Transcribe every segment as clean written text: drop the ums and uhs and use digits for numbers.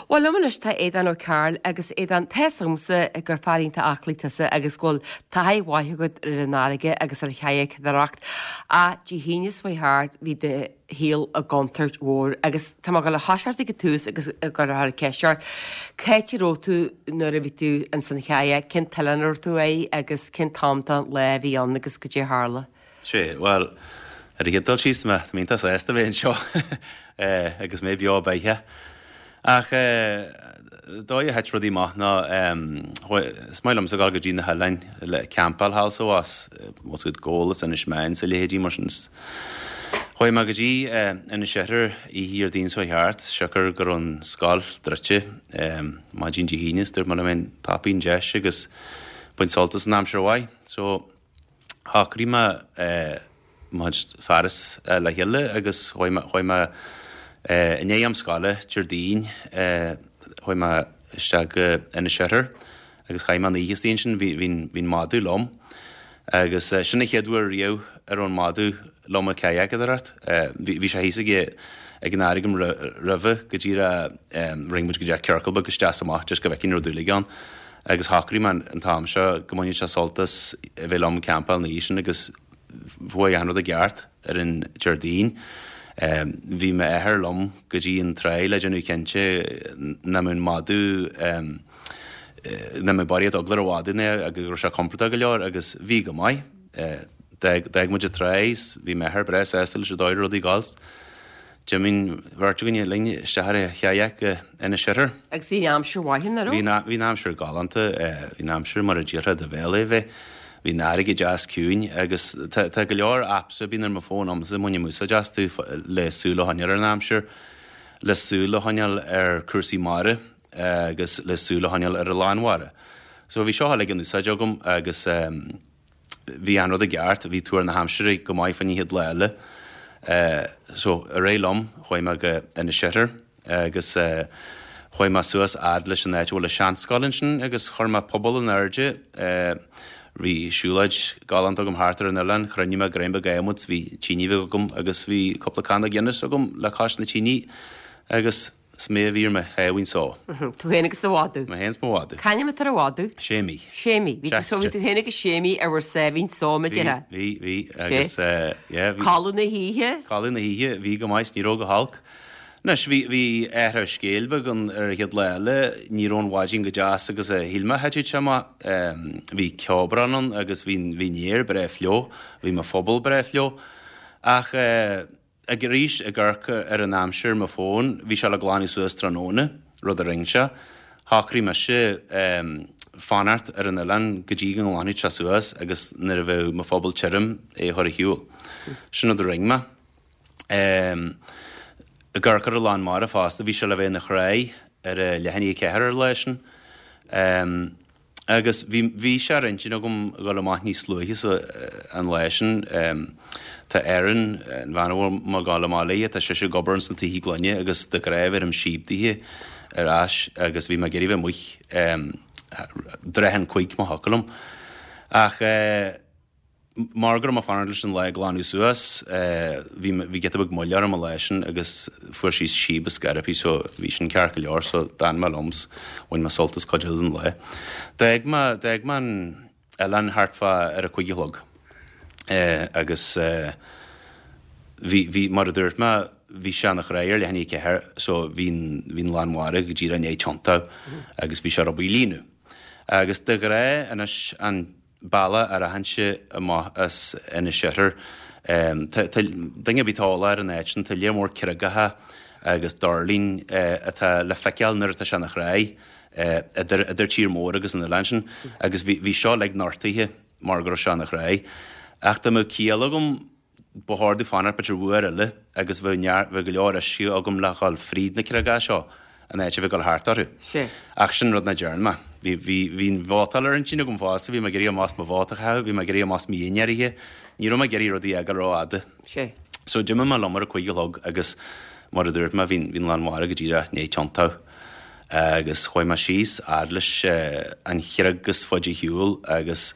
Bhuel, liom anois tá Aodán Ó Cearúil agus Aodán, tá fhios agamsa gur fear iontach aclaí tusa agus go bhfuil taithí mhaith agat ar an fharraige agus ar chadhacadóireacht ach Dé hAoine seo chuaigh thart bhí do shaol i gcontúirt mhór agus tá mé ag dul a thoiseacht ag an tús agus ag cur ceist ort. Cá háit a raibh tú nuair a bhí tú ins an chadhc, cén t-oileán a raibh tú air agus cén t-am den lá a bhí ann agus goidé a tharla? Sea, bhuel, ar an chéad dul síos, tá mé iontach sásta bheith anseo agus mé beo beathach. Ach dóigh a thit rudaí amach ná is maith liomsa dul go dtí na hoileáin le campáil thall is abhus, bhfuil 's agat Gabhal is Inis Meáin is a leithéidí mar sin. Chuaigh mé go dtí Inis Oirthir oíche Dhéardaoin seo chuaigh thart, siocair go raibh an scoil druidte maidin Dé hAoine is dúirt mé liom féin tapaigh an deis agus bain sult as an aimsir mhaith. So. Shocraigh mé mo chuid fearas le chéile agus chuaigh mé, chuaigh mé i ndiaidh am scoile Déardaoin, chuaigh mé isteach go Inis Oirthir agus chaith mé an oíche istigh ansin, bhí, bhí, bhí an madadh liom agus sin an chéad uair riamh a raibh an madadh liom ag cadhacadóireacht. Bhí, bhí sé thíos ag, ag an fharraige agam roimhe go díreach, rinne muid go díreach ciorcal beag isteach is amach just go bhfeicfinn an raibh dúil aige ann. Agus shocraigh mé an t-am seo go mbainfeadh sé sult as a bheith liom ag campáil an oíche sin agus chuaigh achan rud i gceart ar an Déardaoin. Bhí m'athair liom go dtí an tráigh le déanamh cinnte nach mbeadh an madadh, nach mbeadh barraíocht eagla ar an mhadadh ná go raibh sé compordach go leor agus bhí go maith. D'fhág muid an tráigh is bhí m'athair breá sásta leis an dóigh a raibh rudaí ag dul. D'imigh an bheirt againne linn isteach ar an chadhc go Inis Oirthir. Agus bhí an aimsir mhaith ann, an raibh? Bhí, bhí an aimsir galánta, bhí an aimsir mar a d'iarrfá do bhéal é a bheith. Bhí an fharraige deas ciúin agus tá, tá go leor apps a bíonn ar mo fón agamsa a mbainim úsáid astu le súil a choinneáil ar an aimsir, le súil a choinneáil ar cúrsaí mara agus le súil a choinneáil ar an lán mhara. So bhí seo uilig in úsáid agam agus. Bhí an rud i gceart, bhí tuar na haimsire go maith fán chéad lá eile. So, ar aghaidh liom, chuaigh mé go Inis Oirthir agus chuaigh mé suas fhad leis an áit a bhfuil an seanscoil ansin agus chuir mé puball in airde. Bhí siúlóid galánta agam thart ar an oileán, chruinnigh mé greim beag adhmaid, bhí tine bheag agam agus bhí cúpla canna Guinness agam le cois na tine agus 'S mé a bhí ar mo sháimhín só. Tú féin agus do mhadadh. Mé féin 's mo mhadadh. C'ainm atá ar an mhadadh? Séimí. Séimí. Bhí tú so bhí tú féin agus Séimí ar bhur sáimhín só, mar a déarfá. Bhí, bhí, bhí agus eh yeah bhí. Codladh na hoíche? Codladh na hoíche, bhí go maith 's ní raibh go holc. Anois bhí, bhí athrú scéil beag ann ar an chéad lá eile, ní raibh an mhaidin chomh deas agus a shíl mé a thitfeadh sé amach. Bhí ceobrán ann agus bhí, bhí an aer breá fliuch, bhí mo phuball breá fliuch. Ach eh. Ag arís ag amharc ar an aimsir ar mo fón, bhí sé le glanadh suas tráthnóna, rud a rinne sé. Shocraigh mise fanacht ar an oileán go dtí go nglanfadh sé suas agus nuair a bheadh mo phuball tirim, é a chur ar shiúl. Sin rud a rinne mé. Ag amharc ar an lán mara fosta, bhí sé le bheith ina thráigh ar a leath i ndiaidh a ceathair ar an lá sin. Agus bhí, bhí sé ar intinn agam a dhul amach níos luaithe sa, an lá sin. Tá Erin, an bhean a bhfuil mé ag dul amach léi, tá sise ag obair ins na tithe gloine agus de ghnáth bheirim síob daoithe ar ais agus bhí mé ag iarraidh bheith amuigh tráth an chuig má thiocfadh liom. Ach. Mar go raibh mé ag fanacht leis an lá a ghlanadh suas, bhí bhí giota beag moille orm an lá sin agus fuair sí síob i scairpí so bhí sin ceart go leor so d'fhan mé liom 's bhain mé sult as cuid eile den lá. D'fhág mé d'fhág mé an oileán thart fá ar a cuig a chlog agus bhí bhí mar a dúirt mé bhí sé ina thráigh ar leath i ndiaidh a ceathair so bhí an bhí an lán mara go díreach i ndiaidh tiontú agus bhí sé ar obair líonadh. Agus de ghnáth anois an bealach a rachainnse amach as Inis Oirthir. Tá duine ar bith atá eolach ar an áit sin, tá léar mór creagacha agus doirlinn atá le feiceáil nuair atá sé ina thráigh idir idir tír mór agus an oileán sin agus bhí seo uilig nortaithe mar go raibh sé ina thráigh. Ach dá mbeadh ciall agam Ba chóir domh fanacht b'fhéidir uair eile agus bheadh neart, bheadh go leor uisce agam le dhul fríd na creagacha seo in áit a bheith ag dul thart orthu. Sea. Ach sin rud nach dtearn mé. Bhí, bhí, bhí an bhabhtáil ar intinn agam fosta, bhí mé ag iarraidh amach as mo bhata a chaitheamh, bhí mé ag iarraidh amach as mo dhinnéar a ithe, ní raibh mé ag iarraidh rudaí a fhágáil rófhada. Sea. So d'imigh mé liom ar a cuig a chlog agus mar a dúirt mé, bhí, bhí an lán mara go díreach i ndiaidh tiontú. Agus chuaigh mé síos fhad leis an chreag is faide ar shiúl agus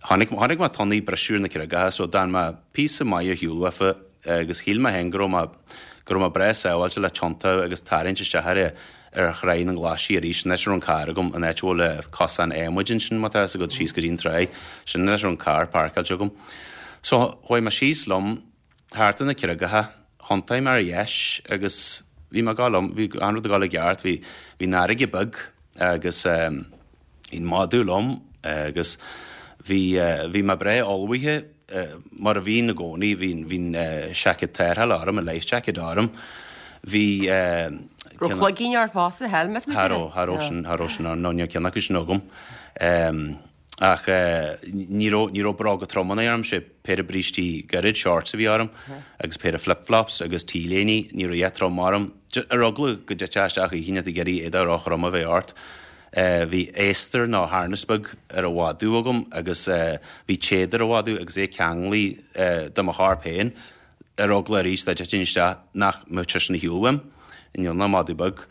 chonaic, chonaic mé tonnaí ag briseadh ar na creagacha so d'fhan mé píosa maith ar shiúl uafa agus shíl mé féin go raibh mé, go raibh mé breá sábháilte le tiontú agus tarraingt isteach ar. ar Thráigh na nGlaisí arís, an áit a raibh an carr agam, an áit a bhfuil cosán adhmaid ansin má tá fhios agat, síos go dtí an tráigh, sin an áit a raibh an carr páirceáilte agam. So chuaigh mé síos liom thart ar na creagacha, thiontaigh mé ar dheis agus bhí mé ag gabháil liom, bhí an rud ag gabháil i gceart, bhí, bhí an fharraige beag agus eh, bhí an madadh liom agus bhí, bhí mé breá ullmhaithe mar a bhínn i gcónaí, bhí, bhí an seaicéad tarrthála orm, an life jacket orm, bhí. Raibh cloigín ort fosta, helmet Cha raibh, cha raibh sin, cha raibh sin orm, no ní raibh ceann acu sin agam. Ach ní raibh, ní raibh bróga troma orm, sé péire brístí gairid, shorts a bhí orm agus péire flip flops agus t-léiní, ní raibh a dhath trom orm, ar eagla go dtitfeá isteach oíche ag iarraidh éadach róthrom a bheith ort. Bhí adhastar nó harness beag ar an mhadadh agam agus bhí téad ar an mhadadh agus é ceanglaithe do mo chorp féin ar eagla arís dá dtitfinn isteach nach mbeadh seisean ar shiúl uaim. Níl ná madadh beag.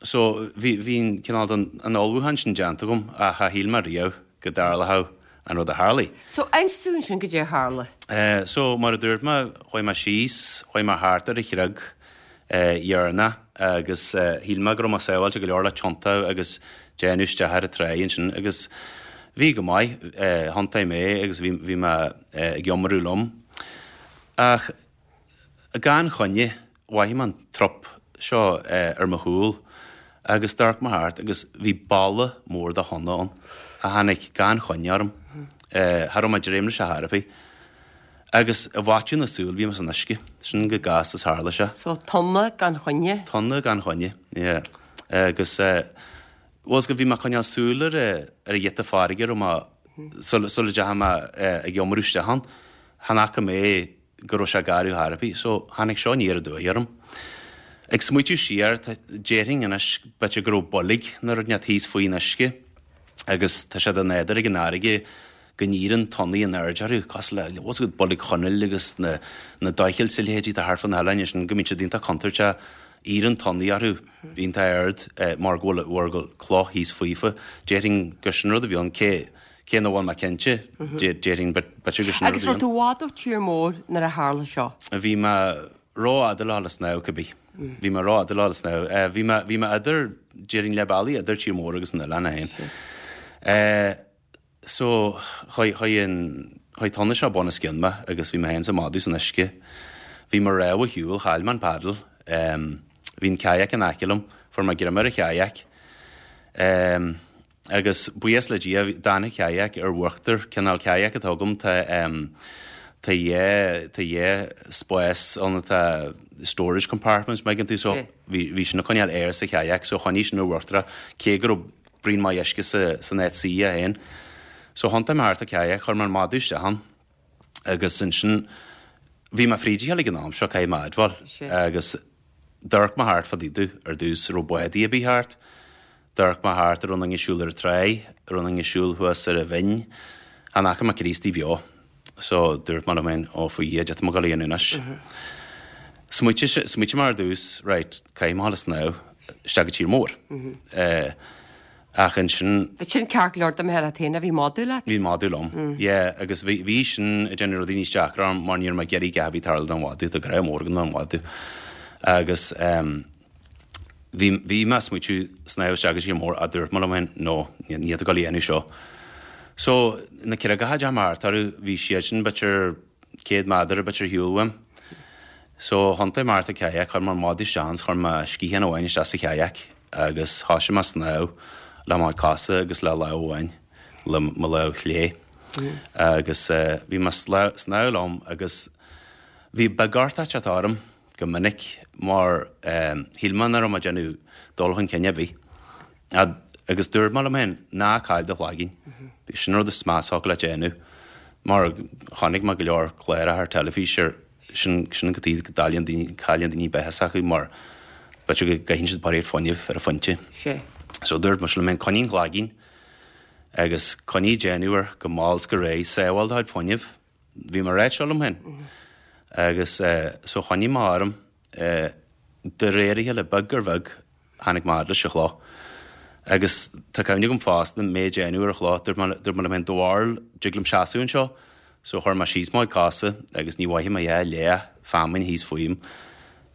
So bhí bhí an cineál den an ullmhúchán sin déanta agam ach cha shíl mé riamh go dtarlódh an rud a tharlaigh. So inis dúinn sin goidé a tharla. So mar a dúirt mé chuaigh mé síos, chuaigh mé thart ar an chreag dheireanach agus shíl mé go raibh mé sábháilte go leor le tiontú agus déanamh isteach ar an tráigh ansin agus bhí go maith, thiontaigh mé agus bhí bhí mé ag iomarú liom. Ach gan choinne mhothaigh mé an trup seo ar mo chúl agus d'amharc mé thart agus bhí balla mór de thonna ann a tháinig gan choinne orm. Cha raibh mé ag dréim leis ar chor ar bith. Agus i bhfaiteadh na súl bhí mé san uisce. Sin chomh gasta is tharla sé. So tonna gan choinne? Tonna gan choinne, yeah. Agus eh, bhfuil fhios agat bhí mé ag coinneáil súil ar ar an ghiota farraige a raibh mé, sula sula dteachaigh mé ag iomarú isteach ann, chan fhaca mé go raibh sé garbh chor ar bith. So tháinig seo aniar aduaidh orm. Ag smaoitiú siar, déarfainn anois b'fhéidir go raibh boilg nó rud inteacht thíos faoin uisce agus tá sé de nádúr ag an fharraige go n-éiríonn tonnaí in airde orthu, cosúil le, bhfuil fhios agat, Boilg Chonaill agus na, na doichill is a leithéidí atá thart fá na hoileáin ansin, go mbíonn siad iontach contúirteach, éiríonn tonnaí orthu iontach ard mar go bhfuil, mar go bhfuil cloch thíos faofa. Déarfainn gur sin rud a bhí ann, cé, cé nach bhfuil mé cinnte, déarfainn b'fhéidir gur sin rud a bhí ann. Agus raibh tú i bhfad ó tír mór nuair a tharla seo? Bhí mé rófhada le dhul ag snámh, cibé. Bhí mé rófhada le dhul ag snámh. Bhí mé, bhí mé idir, déarfainn leath bealaigh idir tír mór agus an oileán é féin. So, chuaigh, chuaigh an, chuaigh tonna seo bun os cionn mé agus bhí mé féin is an madadh san uisce. Bhí mo rámha ar shiúl, chaill mé an paddle. Em, bhí an kayak in aice liom, fuair mé greim ar an kayak. Em, agus buíochas le Dia, d'fhan an kayak ar uachtar, cineál kayak atá agam, tá, em, tá dhá, tá dhá spás ann atá storage compartments, má thuigeann tú, so bhí, bhí sin ag coinneáil aer sa kayak, so choinnigh sin ar uachtar é, cé go raibh braon maith uisce san áit suí é féin. So thiontaigh mé thart an kayak, chuir mé an madadh isteach ann agus ansin bhí mé fríd a chéile ag an am seo, caithfidh mé a admháil, agus d'amharc mé thart fá dtaobh domh ar dtús, raibh bádaí ar bith thart, d'amharc mé thart an raibh aon duine ag siúl ar an tráigh, an raibh aon duine ag siúl thuas ar an bhinn, chan fhaca mé Críostaí beo. So dúirt mé liom féin, ó faoi Dhia, cad é atá mé ag dul a dhéanamh anois. Smaoitigh, smaoitigh mé ar dtús, right, caithfidh mé a dhul ag snámh isteach go tír mór. Eh, ach ansin. Bhí sin ceart go leor dá mbeifeá leat féin, bhí madadh leat? Bhí madadh liom, yeah, agus bhí, bhí sin ag déanamh rudaí níos deacra orm mar ní raibh mé ag iarraidh a dhath ar bith tarlú don mhadadh, tá grá mór agam don mhadadh. Agus em, Bhí, bhí mé ag smaoitiú snámh isteach go tír mór ach dúirt mé liom féin, no, níl tú ag dul a dhéanamh seo. So, na creagacha a d'fhéach mé thart orthu, bhí siad sin b'fhéidir 100 méadar b'fhéidir ar shiúl uaim. So, thiontaigh mé thart an kayak, chuir mé an madadh isteach ann 's chuir mé sciathán amháin isteach sa kayak agus thoisigh mé ag snámh le mo chuid cosa agus le lámh amháin, le mo lámh chlé. Agus bhí mé ag snámh liom agus bhí beagortach ag teacht orm. go minic mar shíl mé nach raibh mé ag déanamh dul chun cinn ar bith. Agus dúirt mé liom féin, ná caill do chloigeann. Sin an rud is measa a thiocfadh leat a dhéanamh. Mar chonaic mé go leor cláracha ar teilifís ar sin sin cad chuige go gcailleann daoine cailleann daoine beatha s'acu mar b'fhéidir go gcaitheann siad barraíocht fuinnimh ar an phointe. So dúirt mise liom féin, coinnigh an cloigeann agus coinnigh ag déanamh air go mall 's go réidh, sábháil do chuid fuinnimh. Bhí mé ag ráit seo liom féin agus so choinnigh mé orm de réir a chéile, beag ar bheag tháinig mé fhad leis an chloch. Agus tá cuimhne agam fosta mé ag déanamh ar an chloch, dúirt mé dúirt mé liom féin, do bharúil, dtig liom seasamh anseo? So chuir mé síos mo chuid cosa agus ní mhothaigh mé a dhath leath feamainn thíos faoim.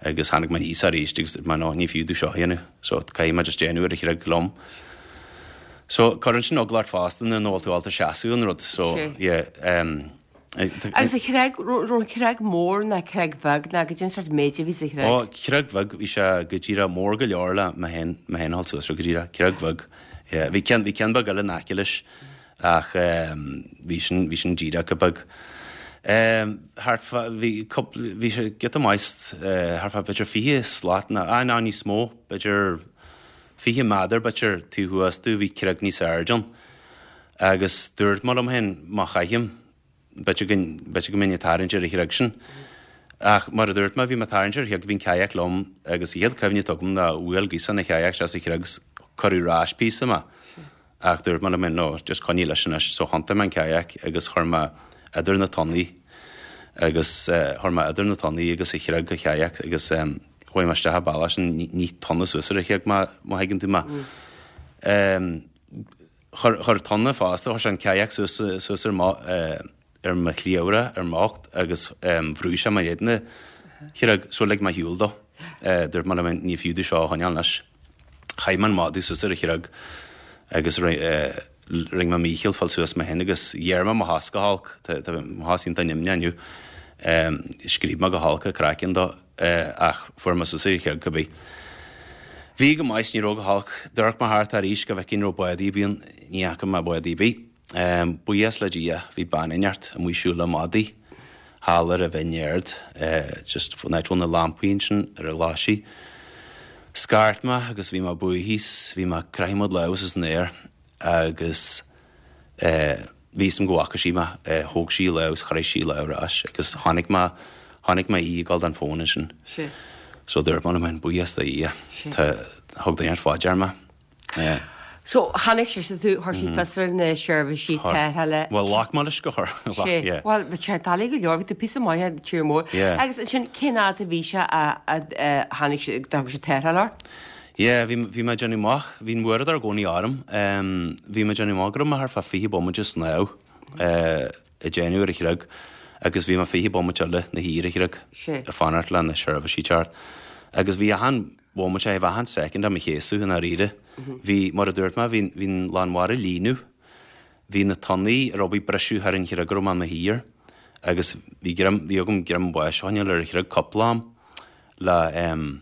Agus tháinig mé aníos arís agus dúirt mé no, ní fiú domh seo a dhéanamh so caithfidh mé just déanamh ar an chreag liom. So cuireann sin eagla ort fosta nuair nach bhfuil tú ábalta seasamh an rud so yeah um, Agus an chreag, raibh an chreag mór ná creag bheag ná goidé an sórt méid a bhí sa chreag? Ó, creag bheag, bhí sé go díreach mór go leor le mé féin, mé féin a dhul suas air go díreach, creag bheag. Yeah, bhí ceann, bhí ceann beag eile in aice leis ach bhí sin, bhí sin díreach chomh beag. Thart fá, bhí cúpla, bhí sé giota maith, thart fá b'fhéidir 20 slat ná, ah ná níos mó, b'fhéidir 20 méadar b'fhéidir taobh thuas domh bhí creag níos airde ann. Agus dúirt mé liom féin má chaithim, b'fhéidir go, b'fhéidir go mbeinn ag tarraingt ar an chreag sin. Ach mar a dúirt mé, bhí mé ag tarraingt ar an chreag, bhí an kayak liom agus an chéad cuimhne atá agam ná bhuail gaosán an kayak isteach sa chreag 's cuireadh ar ais píosa mé. Ach dúirt mé liom féin, no, just coinnigh leis anois. So thiontaigh mé an kayak agus chuir mé idir na tonnaí agus chuir mé idir na tonnaí agus an chreag an kayak agus chuaigh mé isteach an bealach sin, ní tonna suas ar an chreag má thuigeann tú mé. Chuir, chuir tonna fosta, chuir sé an kayak suas, suas ar mo, ar mo chliabhrach, ar m'ucht agus bhrúigh sé mé in éadan an chreag so lig mé ar shiúl dó. Dúirt mé liom féin, ní fiú domh seo a choinneáil anois. Chaith mé an madadh suas ar an chreag agus rinne mé mícheall fáil suas mé féin agus ghéar mé mo chos go holc, tá mo chos iontach nimhneach inniu. Scríob mé go holc an craiceann dó ach fuair mé suas ar an chreag cibé. Bhí go maith is ní raibh go holc. D'amharc mé thart arís go bhfeicfinn raibh bádaí ar bith ann, ní fhaca mé bádaí ar bith. Buíochas le Dia, bhí bean inteacht amuigh ag siúl le madaí thall ar an bhinn ard, just an áit a bhfuil na lampaí ansin ar an Ghlaisigh. Scairt mé agus bhí mé buartha 's bhí mé ag croitheadh mo lámh suas san aer agus bhí fhios a'm go bhfaca sí mé, thóg sí a lámh is chroith sí a lámh ar ais agus chonaic mé, chonaic mé í ag dul don fón ansin. So dúirt mé liom féin, buíochas do Dhia, tá, thug duine inteacht fá dear mé. Yeah. So, chonaic sise tú, chuir sí fios ar na seirbhísí tarrthála. Bhuel, ghlac mé leis gur chuir. Sé. Yeah. Bhuel, bhí sé doiligh go leor, bhí tú píosa maith ar tír mór. Yeah. Agus ansin, cén fhad a bhí sé a, a, a tháinig sé, a thug sé tarrtháil ort? Yeah, bhí, bhí mé ag déanamh amach, bhí an uaireadóir i gcónaí orm, um, bhí mé ag déanamh amach go raibh mé thart fá 20 bomaite ag snámh, eh, ag déanamh ar an chreag agus bhí mé 20 bomaite eile 'na shuí ar an chreag. Sé. Ag fanacht le na seirbhísí teacht. Agus bhí achan, bhomaite, bhí achan soicind á mo chéasadh i ndáiríre. Bhí, mar a dúirt mé, bhí, bhí an lán mhara ag líonadh. Bhí na tonnaí ar obair briseadh thar an chreag a raibh mé i mo shuí air agus bhí greim, bhí agam greim báis a choinneáil ar an chreag cúpla am le em,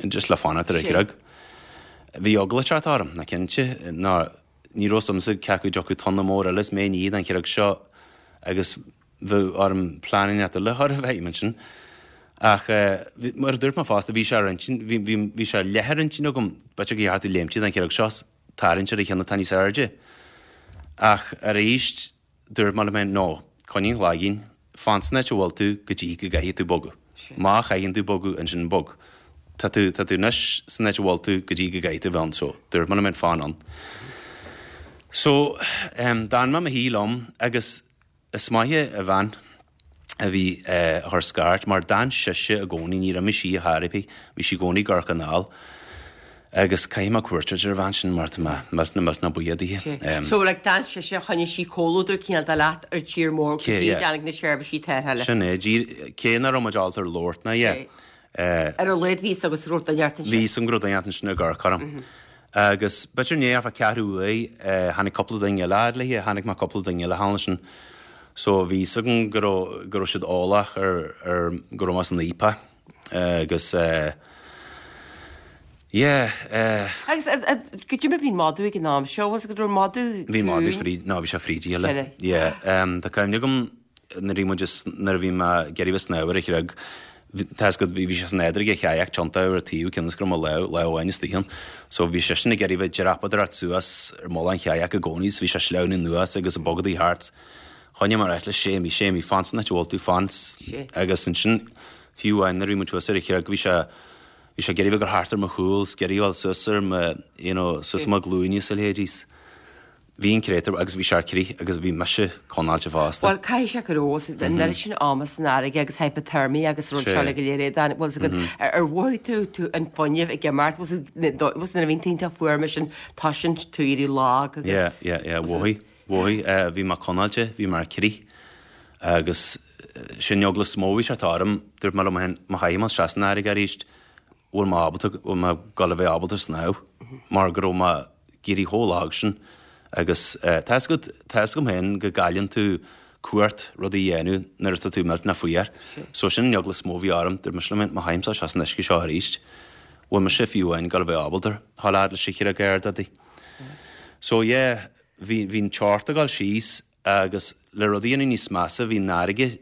just le fanacht ar an chreag. Bhí eagla ag teacht orm, ná cinnte, ná ní raibh fhios a'msa cé acu dtiocfadh tonna mór eile is mé i ndiaidh den chreag seo agus bheadh orm plean inteacht eile a chur i bhfeidhm ansin. Ach mar a dúirt mé fosta, bhí sé ar intinn, bhí, bhí, bhí sé leath ar intinn agam, b'fhéidir gur cheart domh léimt den chreag seo 's tarraingt ar an cheann atá níos airde. Ach arís, dúirt mé liom féin, no, coinnigh an chlaigín, fan san áit a bhfuil tú go dtí go gcaithfidh tú bogadh. Má chaitheann tú bogadh, ansin bog. Tá tú, tá tú anois san áit a bhfuil tú go dtí go gcaithfidh tú bheith ann, so dúirt mé liom féin, fan ann. So, d'fhan mé i mo shuí liom agus Is maith an bhean a bhí a chuir scairt mar d'fhan sise i gcónaí, níor imigh sí ar chor ar bith, bhí sí i gcónaí i gCorca anall agus caithfidh mé cuairt a thabhairt ar an bhean sin mar tá mé millteanach millteanach buíoch dithe. So like d'fhan sise, choinnigh sí comhluadar cineál de leat ar tír mór go dtí go dtáinig na seirbhísí tarrthála. Sin é, cé nach raibh muid ábalta ar labhairt ná yeah. Ar a laghad bhí fhios agat go raibh duine inteacht ansin. Bhí fhios agam go raibh duine inteacht ansin ag amharc orm. Agus b'fhéidir i ndiaidh thart fá ceathrú uair, tháinig cúpla duine eile fhad léi, tháinig mé cúpla duine eile thall ansin. So bhí fhios agam go raibh, go raibh siad eolach ar, ar, go raibh mé san fhaopach. Agus yeah. Agus goidé mar bhí an madadh ag an am seo, was go raibh madadh Bhí madadh fríd, no bhí sé fríd a chéile. Yeah. Tá cuimhne agam nuair a bhí muid, nuair a bhí mé ag iarraidh bheith ag snámh ar an chreag, tá fhios agat, bhí sé san fheadóg an kayak tiontaithe ar an taobh cionn is go raibh mo lámh, lámh amháin istigh ann. So bhí seisean ag iarraidh bheith ag dreapadóireacht suas ar mullach an kayak i gcónaí so bhí sé ag sleamhnú anuas agus ag bogadaí thart. Choinnigh mé ag ráit leis, Séimí, Séimí, fan san áit a bhfuil tú, fan. Agus ansin, fiú amháin nuair a bhí muid thuas ar an chreag, bhí sé, bhí sé ag iarraidh bheith ag gabháil thart ar mo chúl 's ag iarraidh a ghabháil suas ar mo, you know, suas ar mo ghlúine is a leithéidí. Bhí an créatúr agus bhí sé ar crith agus bhí mise conáilte fosta. Bhuel, caithfidh sé go raibh, an oiread sin ama san fharraige agus hypothermia agus rud seo go léir é, bhfuil fhios agat, ar mhothaigh tú tú an fuinneamh ag imeacht, bhfuil fhios agat, nuair a bhíonn tú iontach fuar mar sin, toisíonn tú éirí lag agus. Yeah, yeah, yeah, mhothaigh, mhothaigh, bhí mé conáilte, bhí mé ar crith agus. Sin an eagla is mó a bhí ag teacht orm, dúirt mé liom féin, má chaithfidh mé isteach san fharraige arís, bhfuil mé ábalta, bhfuil mé ag gabháil a bheith ábalta snámh, mar go raibh mé ag éirí chomh lag sin. Agus tá 'fhios agat, tá 'fhios agam féin go gcailleann tú cumhacht rudaí a dhéanamh nuair atá tú millteanach fuar. So sin an eagla is mó a bhí orm, dúirt mise liom féin, má chaithimse isteach san uisce seo arís, bhfuil mise fiú amháin ag gabháil a bheith ábalta a dhul fhad leis an chreag ard. So yeah, bhí, bhí an teocht ag dul síos agus le rudaí a dhéanamh níos measa bhí an fharraige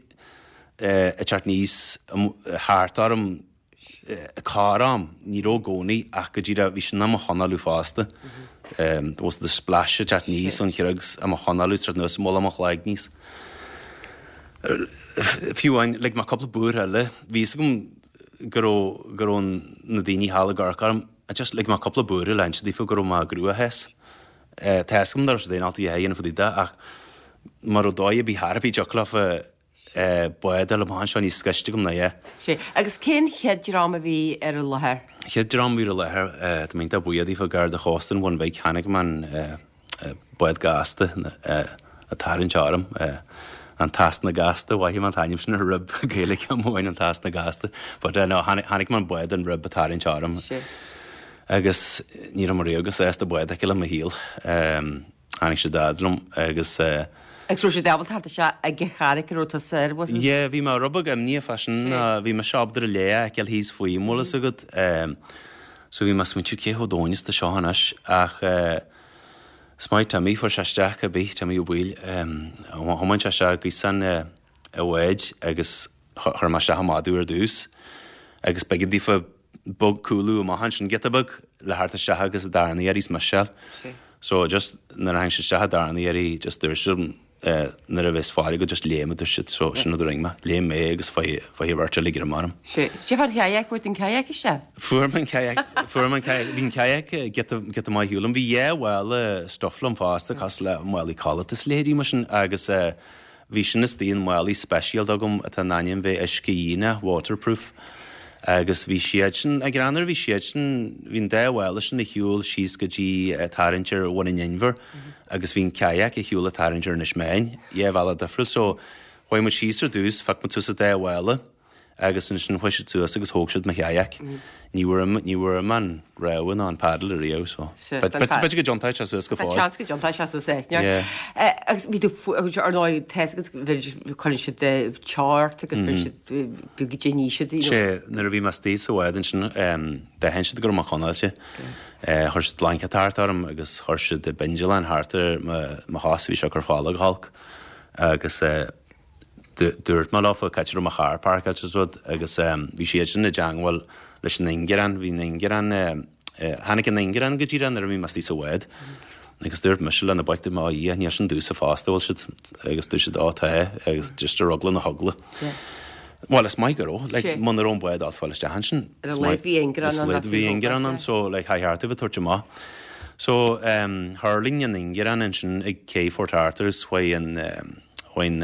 ag teacht aníos thart orm corr-am, ní raibh i gcónaí ach go díreach bhí sin á mo chonálú fosta. Was the splash ag teacht aníos ón chreag á mo chonálú is teacht anuas i mullach mo chloigne. Fiú amháin, lig mé cúpla búir eile, bhí fhios agam go raibh go raibh na daoine thall ag amharc orm, just lig mé cúpla búir le inse daofa go raibh mé i gcruachás. Tá fhios agam nach raibh siad in ann a dhath a dhéanamh fá dtaobh de ach mura raibh dóigh ar bith thar ar bith dtiocfadh leofa bád a fháil amach anseo níos gaiste agam ná é. Sea. Agus cén chéad dream a bhí ar an láthair? Chéad dream a bhí ar an láthair, tá mé iontach buíoch daofa, Garda Chósta an Bhun Bhig, chonaic mé an bád gasta ag tarraingt orm, an tEasna Gasta, mhothaigh mé an t-ainm sin ar rib Gaeilge amháin, an tEasna Gasta, but no, chonaic mé an bád an rib ag tarraingt orm. Sea. Agus ní raibh mé riamh chomh sásta bád a fheiceáil i mo shaol. Tháinig siad fhad liom agus. Agus raibh siad ábalta theacht isteach ag an charraig a raibh tusa air, was it? Yeah, bhí mé rud beag imníoch fá sin, bhí mise ábalta an léa a fheiceáil thíos faoim, bhfuil fhios agat. So bhí mé ag smaointiú cé chomh domhain is atá seo anois ach is maith Timmy, fuair sé isteach cibé, Timmy Ó Baoill, thiomáin sé isteach gaosán an bháid agus chuir mé isteach an madadh ar dtús agus b'éigean daofa beag cúlú amach ansin giota beag le theacht isteach agus an darna iarraidh is mise. So just nuair a tháinig siad isteach an darna iarraidh just dúirt siad nuair a bheas fáil agat just léim a dúirt siad so sin rud a rinne mé. Léim mé agus faigh faigh bheirt eile greim orm. Sea. Cad é fán kayak, fuair tú an kayak isteach? Fuair mé an kayak, fuair mé an kayak, bhí an kayak giota giota maith ar shiúl liom. Bhí dhá mhála stuff liom fosta cosúil le málaí codlata is leithéidí mar sin agus eh Bhí sin istigh in málaí speisialta agam atá in ainm bheith uisce-dhíonach, waterproof, agus bhí siad sin, ag greannmhar, bhí siad sin, bhí an dá mhála sin ar shiúl síos go dtí tarraingt ar Bhun an Inbhir agus bhí an kayak ar shiúl ag tarraingt ar Inis Meáin, dhá bhealach difriúil. So, chuaigh muid síos ar dtús, phioc muid suas an dá mhála. Agus ansin chuaigh siad suas agus thóg siad mo kayak. Ní bhfuair ní bhfuair mé an rogha ná an paddle ariamh so. B'fhéidir go dtiontóidh sé suas go fóill. Tá seans go dtiontóidh sé suas é. Yeah. Agus bhí tú ar ndóigh tá fhios agat cuireann siad teo ort agus cuireann siad go dtí siad. Sé nuair a bhí mé istigh sa bhád ansin d'aithin siad go raibh mé conáilte. Chuir siad blanket thart orm agus chuir siad bindealán thart ar mo chos bhí sé ag cur fola go holc agus Dúirt mé leofa cá háit a raibh mo charr páirceáilte is rud agus bhí siad sin i dteangmháil leis an ingearán, bhí an ingearán, tháinig an ingearán go díreach nuair a bhí mé istigh sa bhád agus dúirt mise le na boic, dúirt mé, ó Dhia, níl sin domhsa fosta, bhfuil siad? Agus dúirt siad, ó tá, agus just ar eagla na heagla. Bhuel, is maith go raibh, like, muna raibh an bád ábalta fáil isteach ansin. Ar a laghad bhí ingearán ann. Ar a laghad bhí ingearán ann, so like, chaithfear tú a bheith ag tabhairt amach. So, thuirling an ingearán ansin ag cé Phort Arthur is chuaigh an, Chuaigh an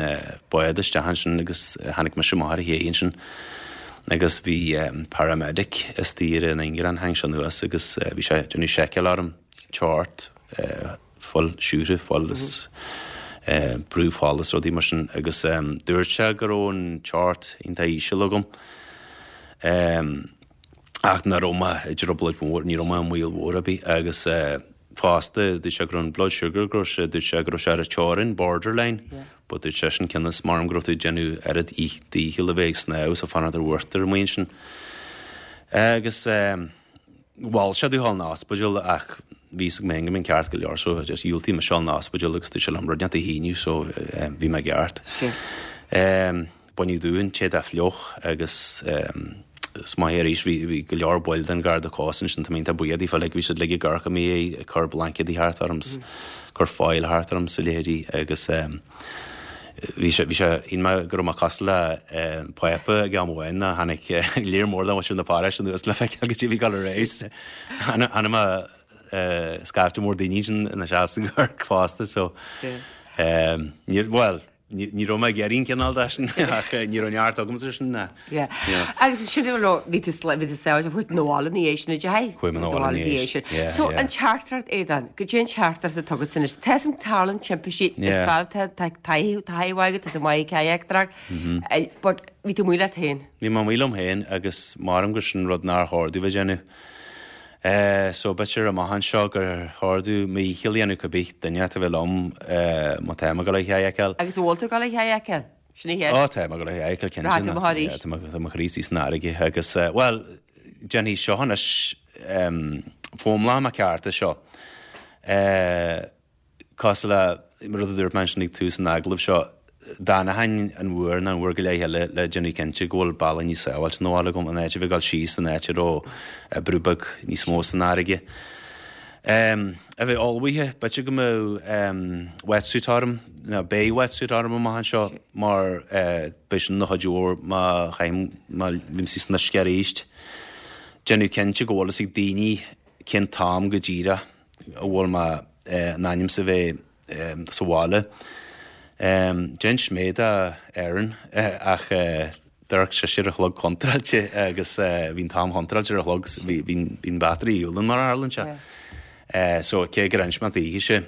bád isteach ansin agus tháinig mise amach ar an ché ansin agus bhí paramedic istigh ar an ingearán, tháinig sé anuas agus bhí sé ag déanamh seiceáil orm, teocht, fuil, siúcra, fuil is brú fola is rudaí mar sin agus dúirt sé go raibh an teocht iontach íseal agam ach nach raibh mé i dtrioblóid mhór, ní raibh mé i mbaol mhór ar bith agus Fosta, dúirt sé go raibh an blood sugar, go raibh sé, dúirt sé go raibh sé ar an teorainn, borderline, but dúirt seisean cionn is maram go raibh tú ag déanamh oiread díchill a bheith ag snámh is ag fanacht ar uachtar amuigh ansin. Agus mhol sé domh dhul 'na ospidéal ach bhí fhios agam féin go mbeinn ceart go leor so just dhiúltaigh mise dhul 'na ospidéal agus dúirt sé liom rud inteacht a shíniú so bhí mé ceart. Baineadh díom an t-éadach fliuch agus is maith arís bhí go leor baill den Gharda Cósta ansin tá mé iontach buíoch daofa like bhí siad uilig ag amharc i mo dhiaidh ag cur blaincéadaí thart orm 's cur foil thart orm 's a leithéidí agus bhí sé bhí sé shíl mé go raibh mé cosúil le Pápa ag am amháin ná tháinig léar mór de mhuintir na paróiste anuas le feiceáil goidé a bhí ag dul ar aghaidh 's chonaic mé scaifte mór daoine ansin ina seasamh ag amharc fosta so níor bhuel. Ní raibh mé ag iarraidh an cineál de sin ach ní raibh neart agamsa sin ná. Yeah. Agus sin a raibh, bhí tú bhí tú sábháilte chuaigh tú 'na bhaile ina dhiaidh sin, did? Chuaigh mé 'na bhaile ina dhiaidh sin. Yeah, So an teachtaireacht Aodán, goidé an teachtaireacht atá agat anois. Tá 'fhios a'm tarlaíonn timpistí, is fearr tá tá taithí taithí mhaith agat, tá tú maith ag kayak-aireacht, but bhí tú amuigh leat féin. Bhí mé amuigh liom féin agus maram gur sin rud nár chóir domh a dhéanamh. So b'fhéidir amach anseo gur chóir domh mo dhícheall a dhéanamh cibé duine atá a bheith liom má tá mé ag dul ag kayakáil. Agus an bhfuil tú ag dul ag kayakáil? Sin an cheist. Ó tá mé ag dul ag kayakáil cinnte. Rachaidh tú amach arís? Tá mo chroí istigh san fharraige agus bhuel déanfaidh seo anois foghlaimeoidh mé ceart as seo. Cosúil le rud a dúirt mé ansin ag tús an agallaimh seo, d'fhanfainn an uair nó an uair go leith eile le déanamh cinnte go bhfuil bealach níos sábháilte 'na bhaile agam, in áit a bheith ag dul síos in áit a raibh brú beag níos mó san fharraige. A bheith ullmhaithe, b'fhéidir go mbeadh wetsuit orm, nó beidh wetsuit orm amach anseo mar beidh sin ina chuidiú mhór má chaithim, má bhím san uisce arís. Déanamh cinnte go bhfuil fhios ag daoine cén t-am go díreach. a bhfuil mé in ainm is a bheith sa bhaile. D'inis mé do Erin ach d'amharc sise ar a chlog contráilte agus bhí an t-am chontráilte ar a chlog, bhí an battery ar shiúl mar a tharlaíonn sé. So cé gur inis mé daoithe cha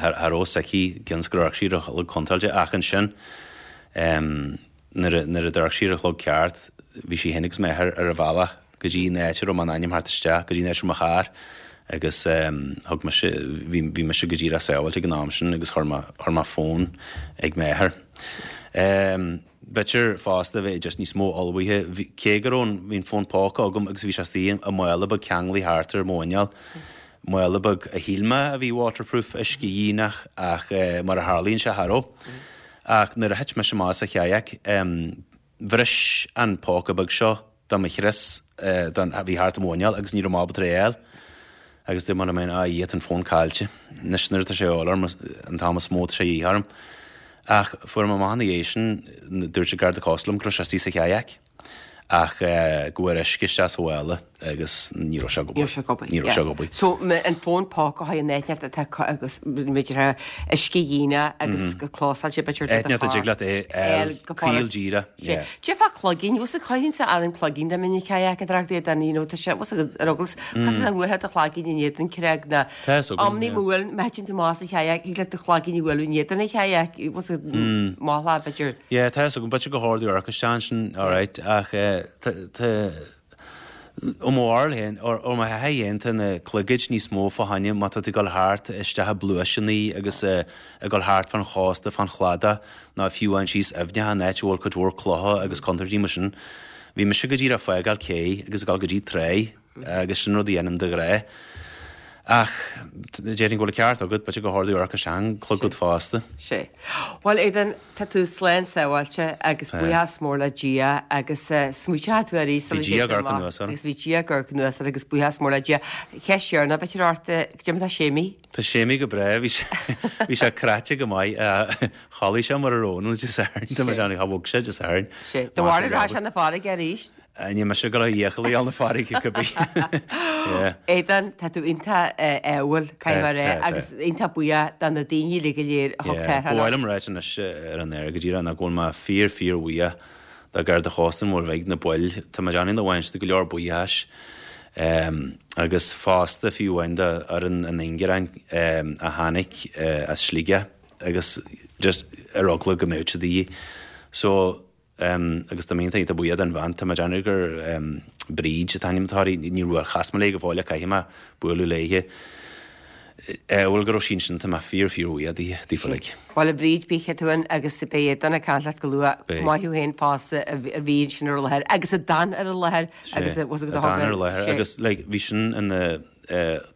raibh fhios aici cionn is gur amharc sí ar a chlog contráilte ach ansin nuair a d'amharc sí ar a chlog ceart bhí sí féin agus m'athair ar a bhealach go dtí an áit a raibh mé in ainm theacht isteach, go dtí an áit a raibh mo charr agus thug mise, bhí, bhí mise go díreach sábháilte ag an am sin agus chuir mé, chuir mé fón ag m'athair. B'fhéidir fosta a bheith just níos mó ullmhaithe, bhí, cé go raibh an, bhí an fón póca agam agus bhí sé istigh i mála beag ceanglaithe thart ar mo mhuineál, mála beag a shíl mé a bhí waterproof, uiscedhíonach ach mar a tharlaíonn sé cha raibh. Ach nuair a thit mise amach as an kayak, Bhris an póca beag seo de mo chrios don a bhí thart ar mo mhuineál agus ní raibh mé ábalta é a fháil. Agus dúirt mé liom féin, a Dhia, tá an fón caillte. Anois nuair atá sé a dhíobháil orm, an t-am is mó atá sé a dhíth orm. Ach fuair mé amach ina dhiaidh sin, dúirt an Garda Cósta liom go raibh sé istigh sa kayak. Ach go bhfuair uisce isteach sa mhála agus ní raibh sé ag obair. Ní raibh sé ag obair. Ní raibh sé ag obair. So an fón póca a an áit atá agus b'fhéidir uiscedhíonach agus go clósáilte b'fhéidir do do Áit a dtig leat é a fháil go caol díreach. Yeah. Cad fá cloigín, bhfuil sa chaithfinn an cloigín dá mbeinn ag kayak-aireacht é dan you know tá sé bhfuil sa ar eaglas cosúil le bhuailfeá do chlaigín in éadan creag ná Tá fhios agam, amannaí yeah. má bhuaileann má thiteann tú amach as an kayak thig leat do chlaigín a bhualadh in éadan an kayak bhfuil sa maith b'fhéidir. Yeah, tá fhios agam, b'fhéidir gur chóir domh amharc isteach ansin, alright, ach eh, tá, tá, ó mo bharúil féin, ó ó mo thaithí féin, tá na clogaid níos mó fá choinne má tá tú ag dul thart isteach i bpluaiseanna agus eh, ag dul thart fán chósta, fán chladach, nó fiú amháin síos aibhneacha in áit a bhfuil cuid mhór clocha agus contúirtí mar sin. Bhí mise go díreach ag fágáil cé agus ag dul go dtí tráigh. Agus sin rud a dhéanaim de ghnáth. Ach déarfainn go bhfuil an ceart agat, b'fhéidir gur chóir domh amharc isteach an clogad fosta. Sea. Bhuel, Aodán, tá tú slán sábháilte agus buíochas mór le Dia agus smaointeoidh tú arís sula Bhí Dia ag amharc anuas orm. Agus bhí Dia ag amharc anuas ort agus buíochas mór le Dia. Ceist dheireanach, b'fhéidir ort, goidé mar atá Séimí? Tá Séimí go breá, bhí sé bhí sé cráite go maith. Chodlaigh sé mar a raibh ann Dé Sathairn, tá mé ag déanamh, bhog sé Dé Sathairn. Sea. Do mhair an rath sé na farraige arís? Níl mise ag dul a fhiacail a dhul 'na farraige cibé. Yeah. Aodán, tá tú iontach ádhúil, caithfidh mé a rá, agus iontach buíoch do na daoine uilig go léir a thug Yeah. Ba mhaith liom ráit anois ar an aer go díreach ná go bhfuil mé fíor fíor bhuíoch do Gharda Chósta an Mhuir Bhig, na baill, tá mé ag déanamh nach bhfaigheann siad go leor buíochais agus fosta fiú amháin do fhoireann an Ingearáin a tháinig as Sligeach agus just ar eagla go mbeadh siad de dhíth. So Agus tá mé iontach iontach buíoch don bhean, tá mé ag déanamh gur Bríd an t-ainm atá uirthi, ní raibh, chas mé léi go fóill ach caithfidh mé bualadh léithe. Bhuel go raibh sí ansin, tá mé fíor fíor bhuíoch di, daofa uilig. Bhuel a Bhríd, bí chiúin agus beidh Aodán ag caint leat go luath. Beidh. Maith thú féin fosta a bhí ansin ar an láthair agus a d'fhan ar an láthair agus a a d'fhan ar an láthair agus like bhí sin ina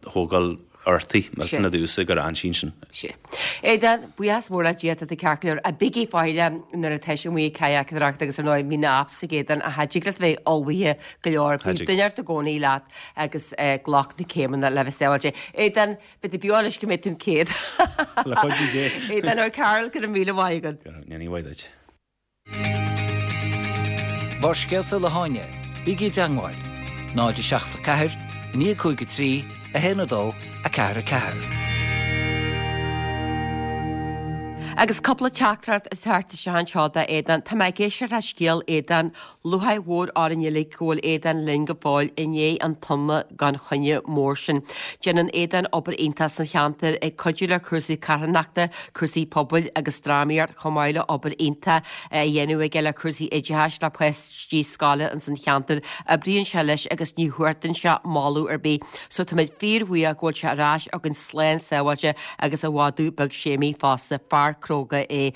thógáil uirthi, millteanach domhsa gur fhan sí ansin. Sea. Aodán, buíochas mór le Dia, tá tú ceart go leor. Bígí faichilleach nuair atá sibh amuigh ag kayak-aireacht agus ar ndóigh bhí na apps ag Aodán ach cha dtig leat bheith ullmhaithe go leor. Bíonn duine ort i gcónaí leat agus glac na céimeanna le bheith sábháilte. Aodán, beidh tú beo anois go mbeidh tú 100. Le cuidiú Dé. Aodán Ó Cearúil, go raibh míle maith agat. Go raibh míle maith duit. Barrscéalta le hÁine, bígí i dteangmháil, 0 7 4 9 5 3 1 2 4 4. Agus cúpla teachtaireacht ag teacht isteach anseo do Aodán. Tá mé ag éisteacht le scéal Aodán. Lúcháir mhór orainn uilig go bhfuil Aodán linn go fóill i ndiaidh an tona gan choinne mór sin. Déanann Aodán obair iontach sa cheantar, ag cuidiú le cúrsaí carthanachta, cúrsaí pobail agus drámaíocht chomh maith le obair iontach á dhéanamh aige le cúrsaí oideachais le páistí scoile ins an cheantar. Oibríonn sé leis agus ní chuartaíonn sé moladh ar bith. So táimid fíor-bhuíoch go bhfuil sé ar ais againn slán sábháilte agus a mhadadh beag Séimí fosta. Fear cróga é.